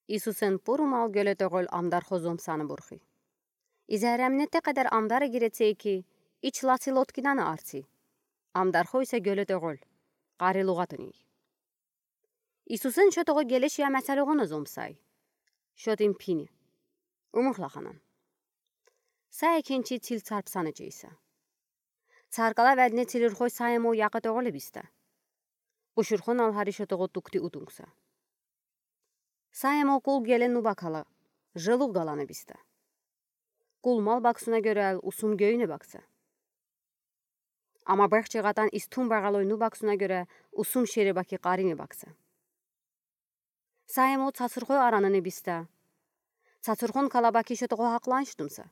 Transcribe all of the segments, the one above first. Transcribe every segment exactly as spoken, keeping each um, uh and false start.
Исусэн пуруmal гёлэ tóгэл амдархо зомсаны бурхи. И зерреминэ тэ кадэр амдар эгирэ цей ки, ич лаци лодкидэнэ артси. Амдархо исэ гёлэ tóгэл, къарилугатни. Исусэн шо tóгэл гелешье месэлэгонэ зомсай. Шо тӥни пини. Умух лаханан. Са экинчи цил царпсаны чейсэ. Царкала веднэ цилюрхой са емо яке tóгэл бисте. Бушурхон ал хари шо tóгэл тугти утунгса. Са емо кул гелэ ну бакала, желуг галаны бисте. Кул мал баксуна гёрэл усум гёйнэ бакса. Ама бэхче гатан истум багалой ну баксуна гёрэ усум шере баки къаринэ бакса. Са емо цацурхой аранэни бисте. Цацурхон калабаки шо tóгэл хакъланштумса.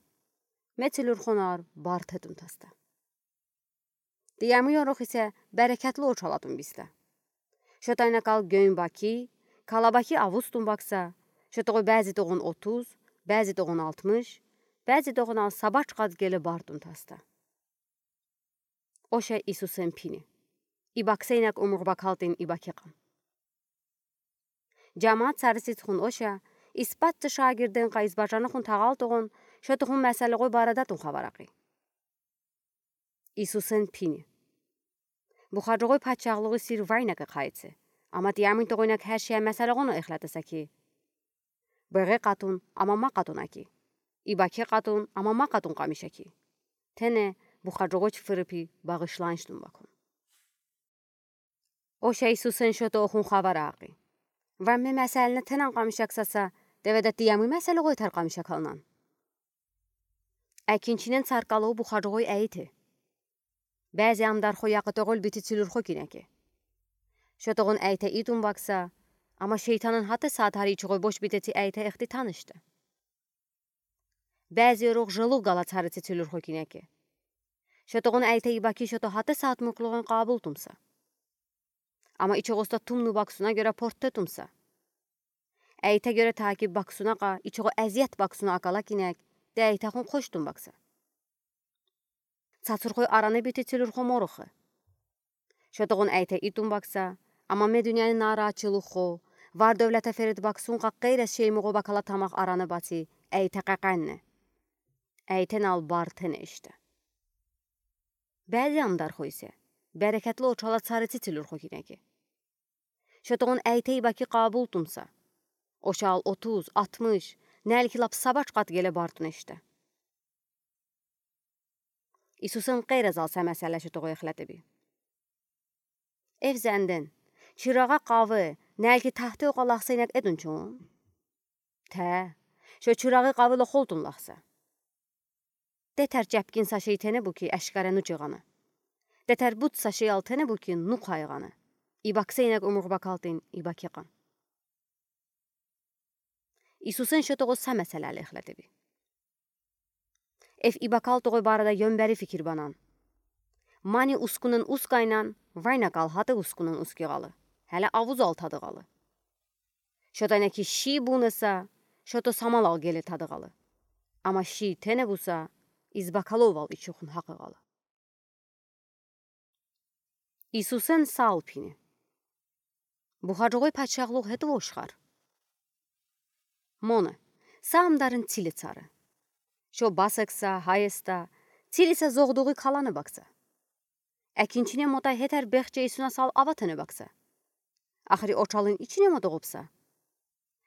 Ме цилюрхон ар барт тунтаста. Тӥ ямы ёрох исэ берекетлы очалатун бисте. Шо тайна кал гён баки, калабаки авустун бакса, шо tóгэл бязи tóгъун отуз, бязи tóгъун алтмыш, бязи tóгъун ал сабач кат гелэ барт тунтаста. Оша Исусэн пини. И баксэ инаг умух бакалтын и бакекъан. Жамаат сариситхун оша, испатты шагирдэн ка избажаныхун тагалтогъун, шо тухун месэлэгой барадатун хабар акъи. Исусэн пини. Бухаджогой патшахлугы сир вайнакы кайтсы. Ама тӥ ямын тогойнаг хершье месэлэгоно эхлятыса ки. Беге катун, ама ма катун аки. И баке катун, ама ма катун камиш аки. Тэнэ бухаджогоч фырыпи багышланштун бакун. Оша Исусэн шо тухун хабар акъи. Вамме месэлэнэ тэнэн камиш аксаса, тэведа тӥ ямы месэлэгойтар камиш акалнан. Экинчинэн царкало бухаджогой эйте. Бязи амдархо яке tóгэл бити цилюрхо кинеке. Шо тогъун эйте итун бакса, ама шейтанэн хатэ саат хари ичогой бош битети эйте эхты танышты. Бязи ёрох желуг гала царици цилюрхо кинеке. Шо тогъун эйте и баки шо то хатэ саат муклугъэн къабултунса. Ама ичогоста тумну баксуна гёрэ порттетунса. Эйте гёрэ таки баксуна ка, ичого эзият баксуна акала кинег, тэ эйтэхун коштун бакса. Цацурхой араны бити цилюрхо морохы. Шо тогъун эйте итун бакса, ама ме дуняны наратчылыхо, вар-дёвлетэ ферит баксун ка, къейрез шеймуго бакала тамах араны бати, эйте къекъеннэ. Эйтэн ал бартэнэ иште. Бязи амдархо исэ, берекетлы очала царици цилюрхо кинеке. Шо тогъун эйте и баки къабултунса. Оша ал отуз, алтмыш, нэльки лап сабач кат геле бартун иште. Исусэн къейрез ал са месэлэ шо тогъу эхлэтэби. Эв зэндэн, чырагы къавы, нэльки тахты окъалахса инаг этун чон. Тэ, шо чырагы къавы лохолтун лахса. Тэтэр чапкин са шей тэнэ бу ки, ашкара ну чыгъаны. Тэтэр бут са шей ал тэнэ бу ки, ну къайгъаны. И баксэ инаг умух бакалтын, и бакекъан. Исусэн шо тогъу са месэлэл эхлэтэби. Эв и бакал тогъу барада ёмбери фикир банан. Мани ускунэн ускайнан, вайна кал хатэ ускунэн ускигъалы. Хеле авуз ал тадыгъалы. Шо тайна ки ши бунэса, шо то самал ал геле тадыгъалы. Ама ши тэнэ буса, из бакало вал ичухун хакыгъалы. Исусэн са алпини. Бухаджогой патшахлух хэтэ вошхар. Монэ, са амдарын циле цары. Шо басэкса, хайеста, цилиса зогъдугы каланы бакса. Экинчинэ мотай хэтэр бехче исуна сал аватэнэ бакса. Ахри очалын ичине мотогъупса.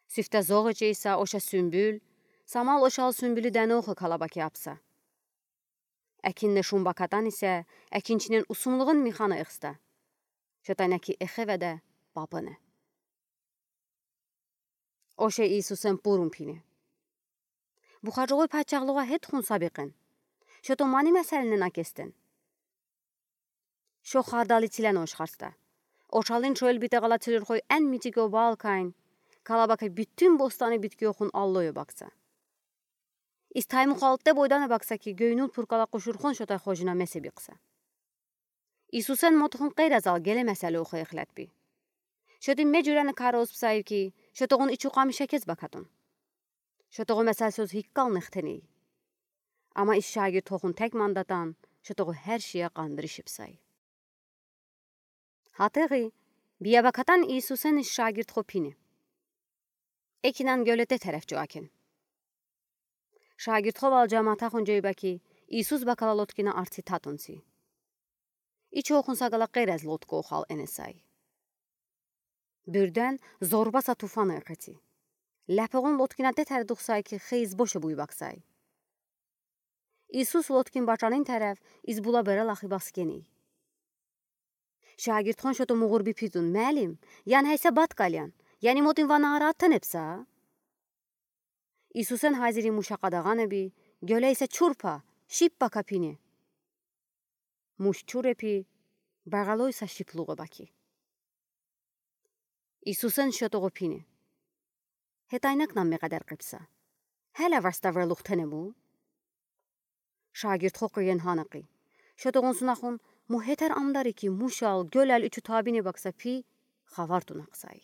Сифтэ зогъ ичейса оша сюмбюл, самал ошал сюмбюлю дэнохы калабаки апса. Экиннэ шумба катан исэ, экинчинэн усумлугын михана эхста. Шо тайна ки эхэ ведэ папынэ. Оша Исусэн пурун пини. Бухаджогой патшахлуга хэтэ хун сабикъэн. Шо то мани месэлэнэн акестэн. Шо хардалы цилэн ошхарста. Ошалын шоэл битэгъала цилюрхой эн митиги обал кайн. Калабака бютюн бостаны биткиохун аллойо бакса. Из таймух алтэ бойдана бакса ки, гёйнул пуркала къушурхон шотай хожина месэ бикса. Исусэн мотохун къейраз ал геле месэлэ ухо эхлэтби. Шо тӥ ме жюрени кары оспсай ки, шо тогъун ичу къамиша кез бакатун. Шо тогъу месэл сёз хиккал нэхтэнэй. Ама из шагиртхохун тэк мандатан, шо тогъу хэр шия къандырыш ипсай. Хатэгы, бия бакатан Исусэн из шагиртхо пини. Экинан гёлете тереф чуакен. Шагирдхо вал жамаатахун жойба ки, Иисус бакала лодкина артси татунци. Ичоухун сагала къерез лодка ухал энесай. Буьрден зорба са туфан экъеци. Лепегун лодкина детер духсай ки, хейз боше буйбаксай. Иисус лодкин бачанин тереф из була бере лахи баскеней. Шагирдхон шото мугъурби пидун: «Муаллим, ян гьайса бат калиян, яни модин ванагар атанебса?» Иисусен гьазири муша къадагъанеби: «Гёле исса чурпа, шиппа капине». Муш чурепи, багъалой са шиплугъ баки. Иисусен шото гъопине: «Гье тайнак намме къадер къипса. Гьеле варста верлух тенебу?» Шагирдхо къуьен гьана къи. Шото гъун сунахун му гьетер амдари ки, мушал, гёлел ичу табине бакса пи, хабар тунакъсай.